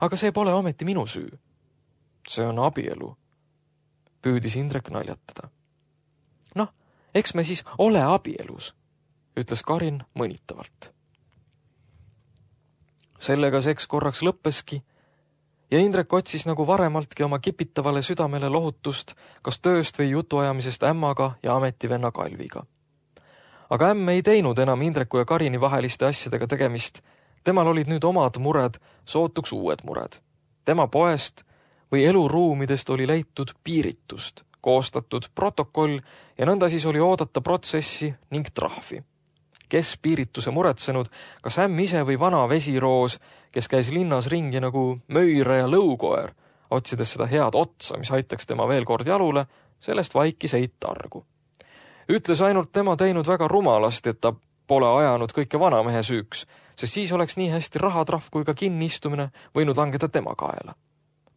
Speaker 2: Aga see pole ometi minu süü. See on abielu, püüdis Indrek naljatada. Noh, eks me siis ole abielus, ütles Karin mõnitavalt. Sellega seks korraks lõppeski ja Indrek otsis nagu varemaltki oma kipitavale südamele lohutust kas tööst või jutuajamisest ämmaga ja ametivenna Kalviga. Aga ämm ei teinud enam Indreku ja Karini vaheliste asjadega tegemist. Temal olid nüüd omad mured, sootuks uued mured. Tema poest või eluruumidest oli leitud piiritust, koostatud protokoll ja nõnda siis oli oodata protsessi ning trahvi. Kes piirituse muretsenud, kas ämm ise või vana vesiroos, kes käis linnas ringi nagu möire ja lõukoer, otsides seda head otsa, mis aitaks tema veel kord jalule, sellest vaikis ei targu. Ütles ainult tema teinud väga rumalasti, et ta pole ajanud kõike vanamehe süüks, sest siis oleks nii hästi rahatrahv kui ka kinniistumine võinud langeda tema kaela.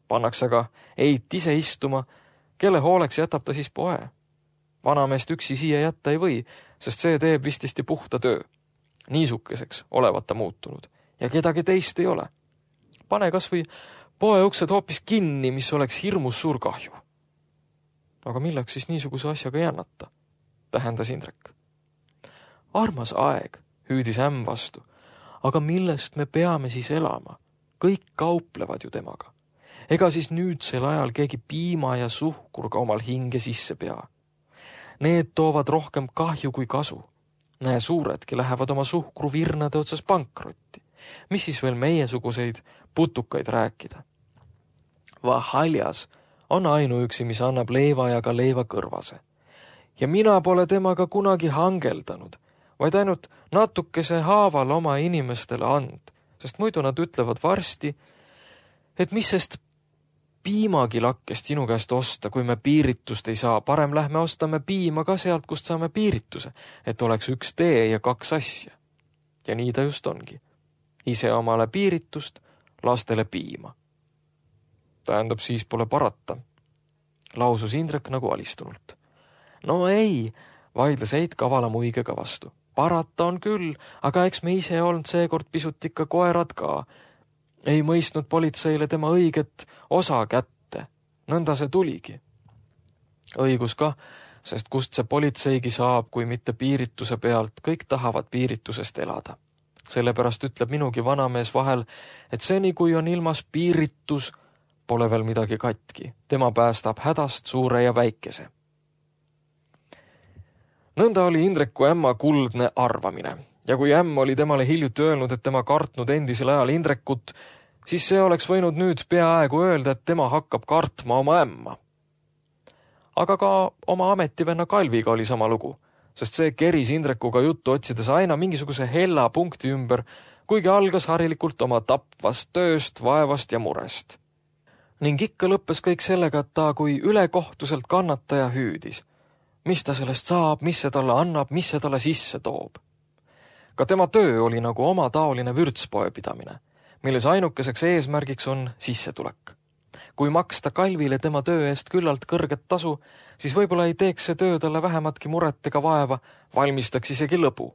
Speaker 2: Pannakse aga eit ise istuma, kelle hooleks jätab ta siis poe. Vanameest üksi siia jätta ei või, sest see teeb vististi puhta töö. Niisukeseks olevat ta muutunud ja kedagi teist ei ole. Pane kas või poe uksed hoopis kinni, mis oleks hirmus suur kahju. Aga milleks siis niisuguse asjaga jännata? Tähendas Indrek. Armas aeg, hüüdis ämm vastu, aga millest me peame siis elama? Kõik kauplevad ju temaga. Ega siis nüüdsel ajal keegi piima ja suhkur ka omal hinge sisse pea. Need toovad rohkem kahju kui kasu. Näe, suuredki lähevad oma suhkru virnade otsas pankrotti. Mis siis veel meiesuguseid putukaid rääkida? Vahaljas on ainuüksi, mis annab leiva ja ka leiva kõrvase. Ja mina pole temaga kunagi hangeldanud, vaid ainult natukese haaval oma inimestele and, sest muidu nad ütlevad varsti, et mis sest piimakilakkest sinu käest osta, kui me piiritust ei saa, parem lähme ostame piima ka sealt, kust saame piirituse, et oleks üks tee ja kaks asja. Ja nii ta just ongi. Ise omale piiritust, lastele piima. Tähendab, siis pole parata, lausus Indrek nagu alistunult. No ei, vaidles Eit kavala muigega vastu. Parata on küll, aga eks me ise olnud seekord pisut ikka koerad ka. Ei mõistnud politseile tema õiget osa kätte. Nõnda see tuligi. Õigus ka, sest kust see politseigi saab, kui mitte piirituse pealt, kõik tahavad piiritusest elada. Sellepärast ütleb minugi vanamees vahel, et seni kui on ilmas piiritus, pole veel midagi katki. Tema päästab hädast suure ja väikese. Nõnda oli Indreku ämma kuldne arvamine. Ja kui ämm oli temale hiljuti öelnud, et tema kartnud endisel ajal Indrekut, siis see oleks võinud nüüd peaaegu öelda, et tema hakkab kartma oma ämma. Aga ka oma ametivenna Kalviga oli sama lugu, sest see keris Indrekuga juttu otsides aina mingisuguse hella punkti ümber, kuigi algas harilikult oma tapvast tööst, vaevast ja murest. Ning ikka lõppes kõik sellega, et ta kui ülekohtuselt kannataja hüüdis. Mis ta sellest saab, mis see talle annab, mis see talle sisse toob. Ka tema töö oli nagu oma taoline vürtspoe pidamine, milles ainukeseks eesmärgiks on sissetulek. Kui maksta Kalvile tema töö eest küllalt kõrget tasu, siis võib-olla ei teeks see töö talle vähematki muret ega vaeva, valmistaks isegi lõbu.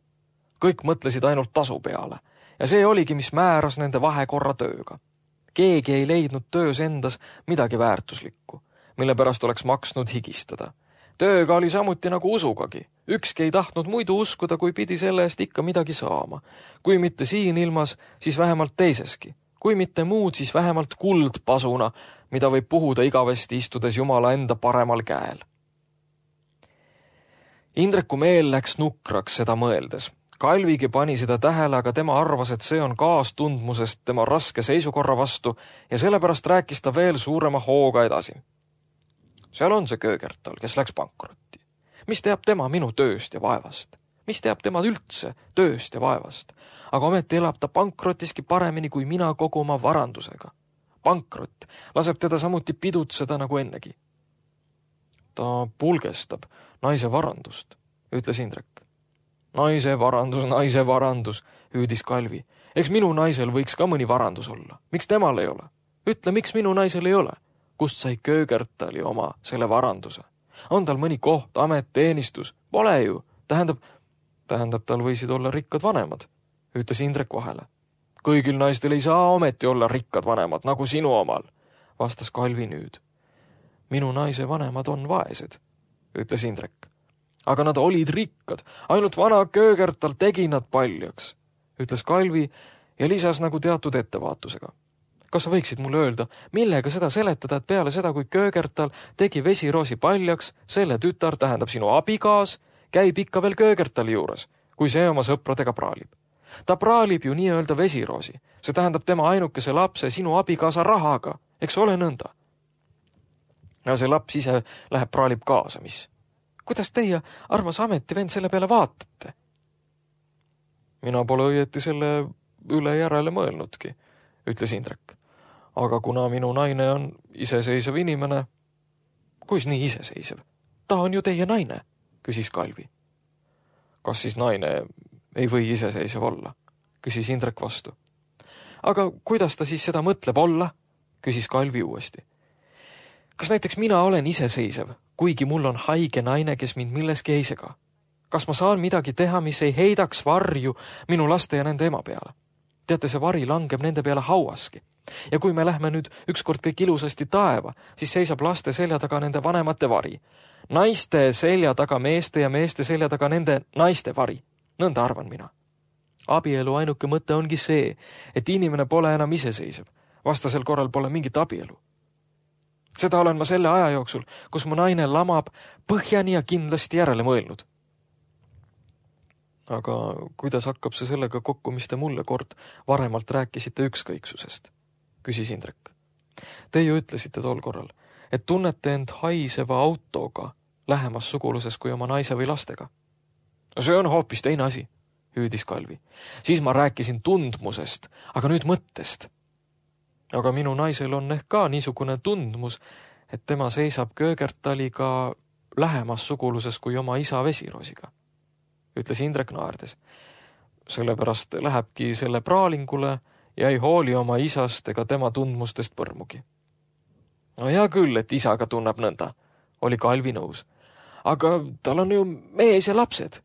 Speaker 2: Kõik mõtlesid ainult tasu peale ja see oligi, mis määras nende vahekorra tööga. Keegi ei leidnud töös endas midagi väärtuslikku, mille pärast oleks maksnud higistada. Tööga oli samuti nagu usugagi. Ükski ei tahtnud muidu uskuda, kui pidi selle eest ikka midagi saama. Kui mitte siin ilmas, siis vähemalt teiseski. Kui mitte muud, siis vähemalt kuldpasuna, mida võib puhuda igavesti istudes Jumala enda paremal käel. Indreku meel läks nukraks seda mõeldes. Kalvigi pani seda tähele, aga tema arvas, et see on kaastundmusest tema raske seisukorra vastu ja sellepärast rääkis ta veel suurema hooga edasi. Seal on see Köögertal, kes läks pankrotti. Mis teab tema minu tööst ja vaevast? Mis teab tema üldse tööst ja vaevast? Aga ometi elab ta pankrotiski paremini kui mina kogu oma varandusega. Pankrot laseb teda samuti pidutseda nagu ennegi. Ta pulgestab naise varandust, ütles Indrek. Naise varandus, naise varandus, hüüdis Kalvi. Eks minu naisel võiks ka mõni varandus olla. Miks temal ei ole? Ütle, miks minu naisel ei ole? Kust sai Köögertali oma selle varanduse? On tal mõni koht, amet, teenistus? Pole ju. Tähendab, tähendab tal võisid olla rikkad vanemad, ütles Indrek vahele. Kõigil naistel ei saa ometi olla rikkad vanemad, nagu sinu omal, vastas Kalvi nüüd. Minu naise vanemad on vaesed, ütles Indrek. Aga nad olid rikkad, ainult vana Köögertal tegi nad paljaks, ütles Kalvi ja lisas nagu teatud ettevaatusega. Kas sa võiksid mulle öelda, millega seda seletada, et peale seda, kui Köögertal tegi vesiroosi paljaks, selle tütar, tähendab sinu abigaas, käib ikka veel Köögertali juures, kui see oma sõpradega praalib. Ta praalib ju nii-öelda vesiroosi. See tähendab tema ainukese lapse sinu abigaasa rahaga, eks ole nõnda. Ja see laps ise läheb praalib kaasa, mis? Kuidas teie, armas ametivend, selle peale vaatate? Mina pole õieti selle üle järele mõelnudki, ütles Indrek. Aga kuna minu naine on iseseisev inimene, kuis nii iseseisev? Ta on ju teie naine, küsis Kalvi. Kas siis naine ei või iseseisev olla, küsis Indrek vastu. Aga kuidas ta siis seda mõtleb olla, küsis Kalvi uuesti. Kas näiteks mina olen iseseisev, kuigi mul on haige naine, kes mind milleski ei sega? Kas ma saan midagi teha, mis ei heidaks varju minu laste ja nende ema peale? Teate, see vari langeb nende peale hauaski. Ja kui me lähme nüüd ükskord kõik ilusasti taeva, siis seisab laste selja taga nende vanemate vari. Naiste selja taga meeste ja meeste selja taga nende naiste vari. Nõnda arvan mina. Abielu ainuke mõte ongi see, et inimene pole enam iseseisev. Vastasel korral pole mingit abielu. Seda olen ma selle aja jooksul, kus mu naine lamab põhjani ja kindlasti järele mõelnud. Aga kuidas hakkab see sellega kokku, mis te mulle kord varemalt rääkisite ükskõiksusest? Küsis Indrek. Te ju ütlesite tol korral, et tunnete end haiseva autoga lähemas suguluses kui oma naise või lastega. See on hoopis teine asi, hüüdis Kalvi. Siis ma rääkisin tundmusest, aga nüüd mõttest. Aga minu naisel on ehk ka niisugune tundmus, et tema seisab Köögertaliga lähemas suguluses kui oma isa Vesiroosiga, ütles Indrek naerdes. Sellepärast lähebki selle praalingule ja ei hooli oma isast ega tema tundmustest põrmugi. No hea küll, et isaga tunneb nõnda, oli Kalvi nõus. Aga tal on ju mees ja lapsed.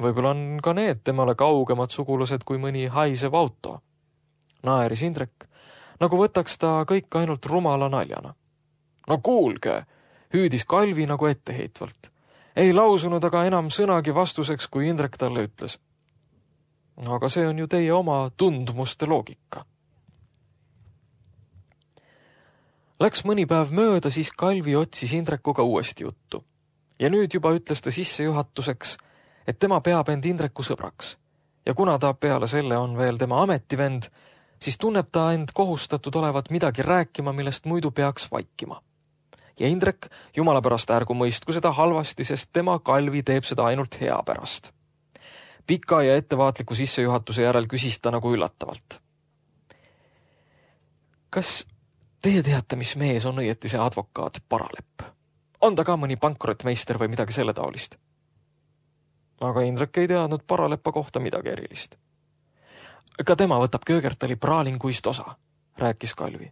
Speaker 2: Võib-olla on ka need temale kaugemad sugulused kui mõni haisev auto. Naeris Indrek, nagu võtaks ta kõik ainult rumala naljana. No kuulge, hüüdis Kalvi nagu etteheitvalt. Ei lausunud aga enam sõnagi vastuseks, kui Indrek talle ütles. Aga see on ju teie oma tundmuste loogika. Läks mõni päev mööda, siis Kalvi otsis Indrekuga uuesti juttu. Ja nüüd juba ütles ta sissejuhatuseks, et tema peab end Indreku sõbraks. Ja kuna ta peale selle on veel tema ametivend, siis tunneb ta end kohustatud olevat midagi rääkima, millest muidu peaks vaikima. Ja Indrek jumala pärast ärgu mõistku seda halvasti, sest tema Kalvi teeb seda ainult hea pärast. Pika ja ettevaatliku sissejuhatuse järel küsis ta nagu üllatavalt. Kas teie teate, mis mees on õieti see advokaat Paralepp? On ta ka mõni pankrottmeister või midagi selle taolist? Aga Indrek ei teadnud Paraleppa kohta midagi erilist. Ka tema võtab Köögertali praalinguist osa, rääkis Kalvi.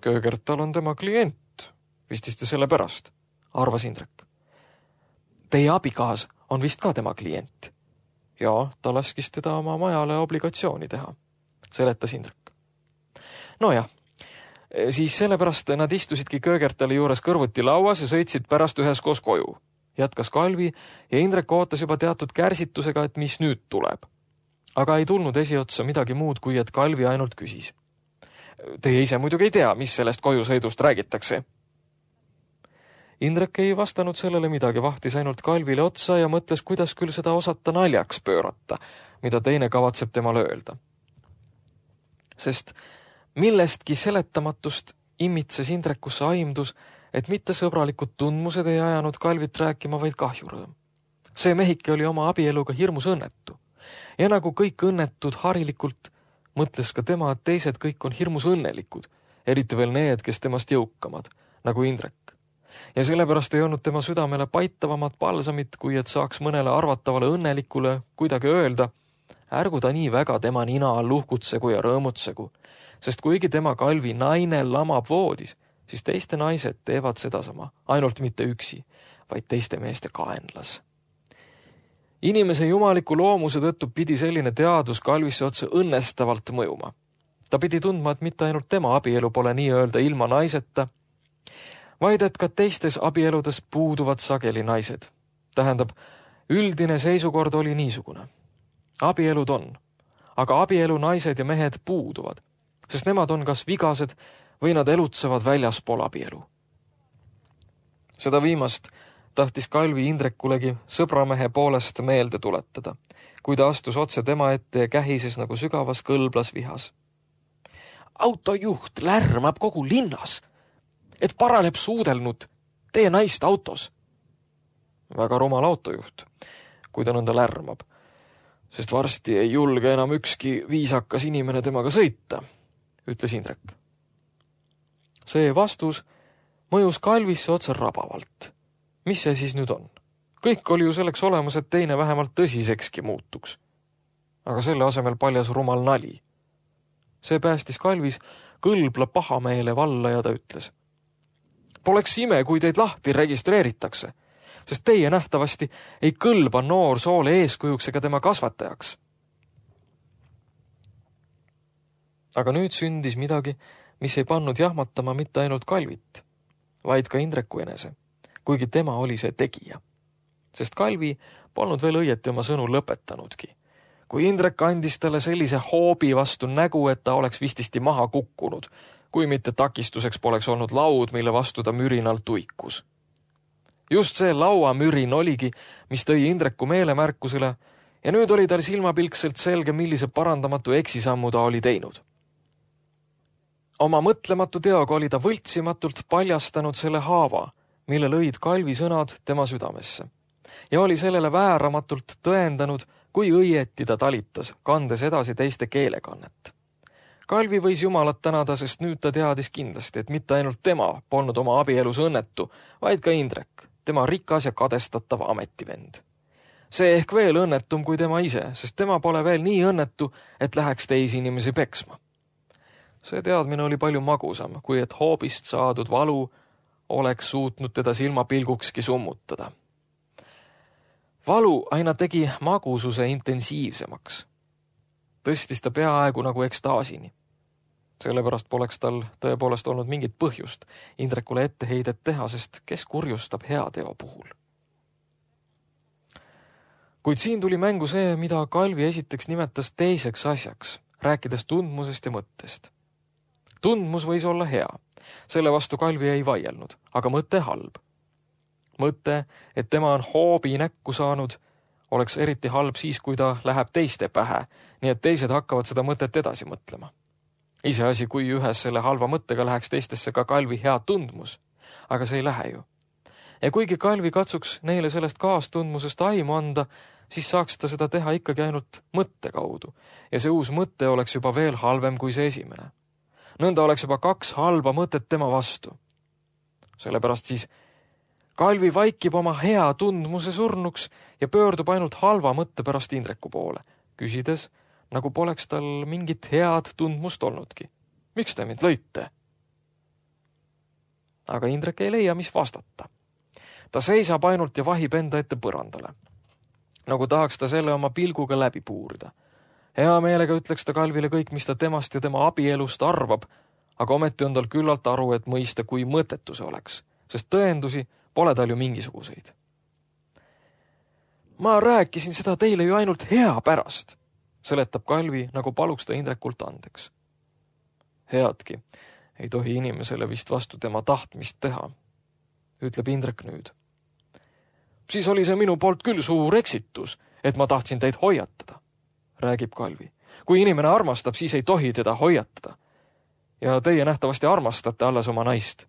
Speaker 2: Köögertal on tema klient, vist selle pärast, arvas Indrek. Teie abikaas on vist ka tema klient. Ja ta laskis teda oma majale obligatsiooni teha, seletas Indrek. No jah, siis sellepärast nad istusidki Köögertali juures kõrvuti lauas ja sõitsid pärast üheskoos koju, jätkas Kalvi ja Indrek ootas juba teatud kärsitusega, et mis nüüd tuleb. Aga ei tulnud esiotsa midagi muud, kui et Kalvi ainult küsis. Teie ise muidugi ei tea, mis sellest kojusõidust räägitakse. Indrek ei vastanud sellele midagi, vahtis ainult Kalvile otsa ja mõtles, kuidas küll seda osata naljaks pöörata, mida teine kavatseb temale öelda. Sest millestki seletamatust imitses Indrekusse aimdus, et mitte sõbralikud tundmused ei ajanud Kalvit rääkima, vaid kahjurõõm. See mehike oli oma abieluga hirmus õnnetu. Ja nagu kõik õnnetud harilikult, mõtles ka tema, et teised kõik on hirmus õnnelikud, eriti veel need, kes temast jõukamad, nagu Indrek. Ja sellepärast ei olnud tema südamele paitavamat palsamit, kui et saaks mõnele arvatavale õnnelikule kuidagi öelda, ärgu ta nii väga tema nina all uhkutsegu ja rõõmutsegu, sest kuigi tema Kalvi naine lamab voodis, siis teiste naised teevad sedasama, ainult mitte üksi, vaid teiste meeste kaenlas. Inimese jumaliku loomuse tõttu pidi selline teadus Kalvisse otse õnnestavalt mõjuma. Ta pidi tundma, et mitte ainult tema abielu pole nii-öelda ilma naiseta, vaid et ka teistes abieludes puuduvad sageli naised. Tähendab, üldine seisukord oli niisugune. Abielud on, aga abielu naised ja mehed puuduvad, sest nemad on kas vigased või nad elutsevad väljaspool abielu. Seda viimast tahtis Kalvi Indrekulegi sõbramehe poolest meelde tuletada, kui ta astus otse tema ette ja kähises nagu sügavas kõlblas vihas. Autojuht lärmab kogu linnas, et Paralepp suudelnud teie naist autos. Väga rumal autojuht, kui ta nõnda lärmab, sest varsti ei julge enam ükski viisakas inimene temaga sõita, ütles Indrek. See vastus mõjus Kalvisse otse rabavalt. Mis see siis nüüd on? Kõik oli ju selleks olemas, et teine vähemalt tõsisekski muutuks. Aga selle asemel paljas rumal nali. See päästis Kalvis kõlbla pahameele valla ja ta ütles. Poleks ime, kui teid lahti registreeritakse, sest teie nähtavasti ei kõlba noor soole eeskujuks ega tema kasvatajaks. Aga nüüd sündis midagi, mis ei pannud jahmatama mitte ainult Kalvit, vaid ka Indreku enese, kuigi tema oli see tegija. Sest Kalvi polnud veel õieti oma sõnu lõpetanudki, kui Indrek andis talle sellise hoobi vastu nägu, et ta oleks vististi maha kukkunud, kui mitte takistuseks poleks olnud laud, mille vastu ta mürinal tuikus. Just see lauamürin oligi, mis tõi Indreku meelemärkusele ja nüüd oli tal silmapilkselt selge, millise parandamatu eksisammu ta oli teinud. Oma mõtlematu teoga oli ta võltsimatult paljastanud selle haava, mille lõid Kalvi sõnad tema südamesse. Ja oli sellele vääramatult tõendanud, kui õieti ta talitas, kandes edasi teiste keelekannet. Kalvi võis Jumalat tänada, sest nüüd ta teadis kindlasti, et mitte ainult tema polnud oma abielus õnnetu, vaid ka Indrek, tema rikas ja kadestatav ametivend. See ehk veel õnnetum kui tema ise, sest tema pole veel nii õnnetu, et läheks teisi inimesi peksma. See teadmine oli palju magusam, kui et hoobist saadud valu oleks suutnud teda silmapilgukski summutada. Valu aina tegi magususe intensiivsemaks. Tõstis ta peaaegu nagu ekstaasini. Sellepärast poleks tal tõepoolest olnud mingit põhjust Indrekule etteheidet teha, sest kes kurjustab heateo puhul. Kuid siin tuli mängu see, mida Kalvi esiteks nimetas teiseks asjaks, rääkides tundmusest ja mõttest. Tundmus võis olla hea, selle vastu Kalvi ei vaielnud, aga mõte halb. Mõte, et tema on hoobi näkku saanud, oleks eriti halb siis, kui ta läheb teiste pähe, nii et teised hakkavad seda mõtet edasi mõtlema. Iseasi, kui ühes selle halva mõttega läheks teistesse ka Kalvi hea tundmus, aga see ei lähe ju. Ja kuigi Kalvi katsuks neile sellest kaastundmusest aimu anda, siis saaks ta seda teha ikkagi ainult mõtte kaudu ja see uus mõte oleks juba veel halvem kui see esimene. Nõnda oleks juba kaks halba mõtet tema vastu. Sellepärast siis Kalvi vaikib oma hea tundmuse surnuks ja pöördub ainult halva mõtte pärast Indreku poole, küsides, nagu poleks tal mingit head tundmust olnudki. Miks te mind lõite? Aga Indrek ei leia, mis vastata. Ta seisab ainult ja vahib enda ette põrandale. Nagu tahaks ta selle oma pilguga läbi puurida. Hea meelega ütleks ta Kalvile kõik, mis ta temast ja tema abielust arvab, aga ometi on tal küllalt aru, et mõista, kui mõttetu see oleks, sest tõendusi pole tal ju mingisuguseid. Ma rääkisin seda teile ju ainult hea pärast, seletab Kalvi, nagu paluks ta Indrekult andeks. Headki, ei tohi inimesele vist vastu tema tahtmist teha, ütleb Indrek nüüd. Siis oli see minu poolt küll suur eksitus, et ma tahtsin teid hoiatada, räägib Kalvi. Kui inimene armastab, siis ei tohi teda hoiatada. Ja teie nähtavasti armastate alles oma naist.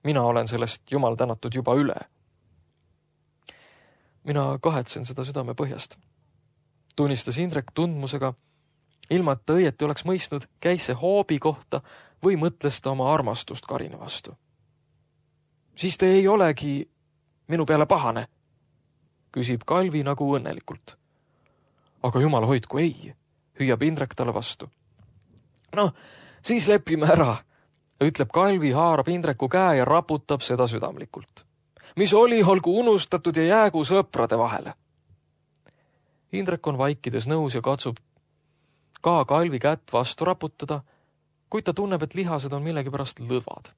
Speaker 2: Mina olen sellest Jumal tänatud juba üle. Mina kahetsen seda südame põhjast. Tunnistas Indrek tundmusega, ilma et ta õieti oleks mõistnud, käis see hoobi kohta või mõtles ta oma armastust Karina vastu. Siis te ei olegi minu peale pahane, küsib Kalvi nagu õnnelikult. Aga Jumal hoidku ei, hüüab Indrek talle vastu. No, siis lepime ära, ütleb Kalvi, haarab Indreku käe ja raputab seda südamlikult. Mis oli, olgu unustatud ja jäägu sõprade vahele. Indrek on vaikides nõus ja katsub ka Kalvi kätt vastu raputada, kuid ta tunneb, et lihased on millegipärast lõdvad.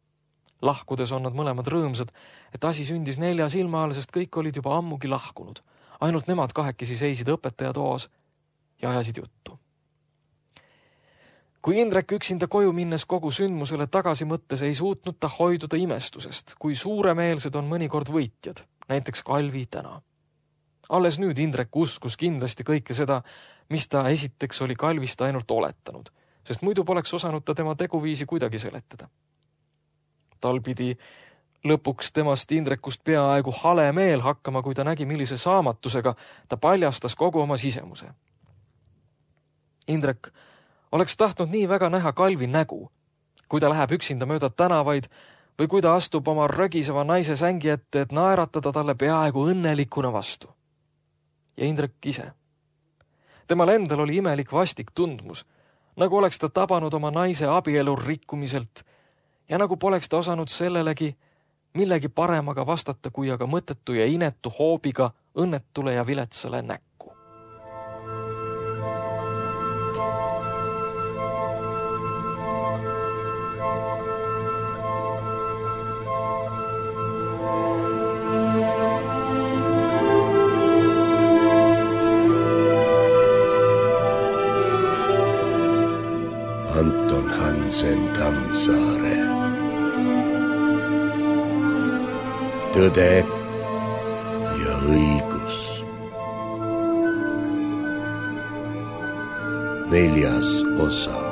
Speaker 2: Lahkudes on nad mõlemad rõõmsad, et asi sündis nelja silma all, sest kõik olid juba ammugi lahkunud. Ainult nemad kahekesi seisid õpetaja toas ja ajasid juttu. Kui Indrek üksinda koju minnes kogu sündmusele tagasi mõttes ei suutnud ta hoiduda imestusest, kui suuremeelsed on mõnikord võitjad, näiteks Kalvi täna. Alles nüüd Indrek uskus kindlasti kõike seda, mis ta esiteks oli Kalvist ainult oletanud, sest muidu poleks osanud ta tema teguviisi kuidagi seletada. Tal pidi lõpuks temast Indrekust peaaegu hale meel hakkama, kui ta nägi, millise saamatusega ta paljastas kogu oma sisemuse. Indrek oleks tahtnud nii väga näha Kalvi nägu, kui ta läheb üksinda mööda tänavaid või kui ta astub oma rögiseva naise sängi ette, et naeratada talle peaaegu õnnelikuna vastu. Ja Indrek ise. Temal endal oli imelik vastik tundmus, nagu oleks ta tabanud oma naise abielu rikkumiselt ja nagu poleks ta osanud sellelegi millegi paremaga vastata, kui aga mõttetu ja inetu hoobiga õnnetule ja viletsale näkku.
Speaker 1: Anton Hansen Tammsaare. Tõde ja õigus. Neljas osa.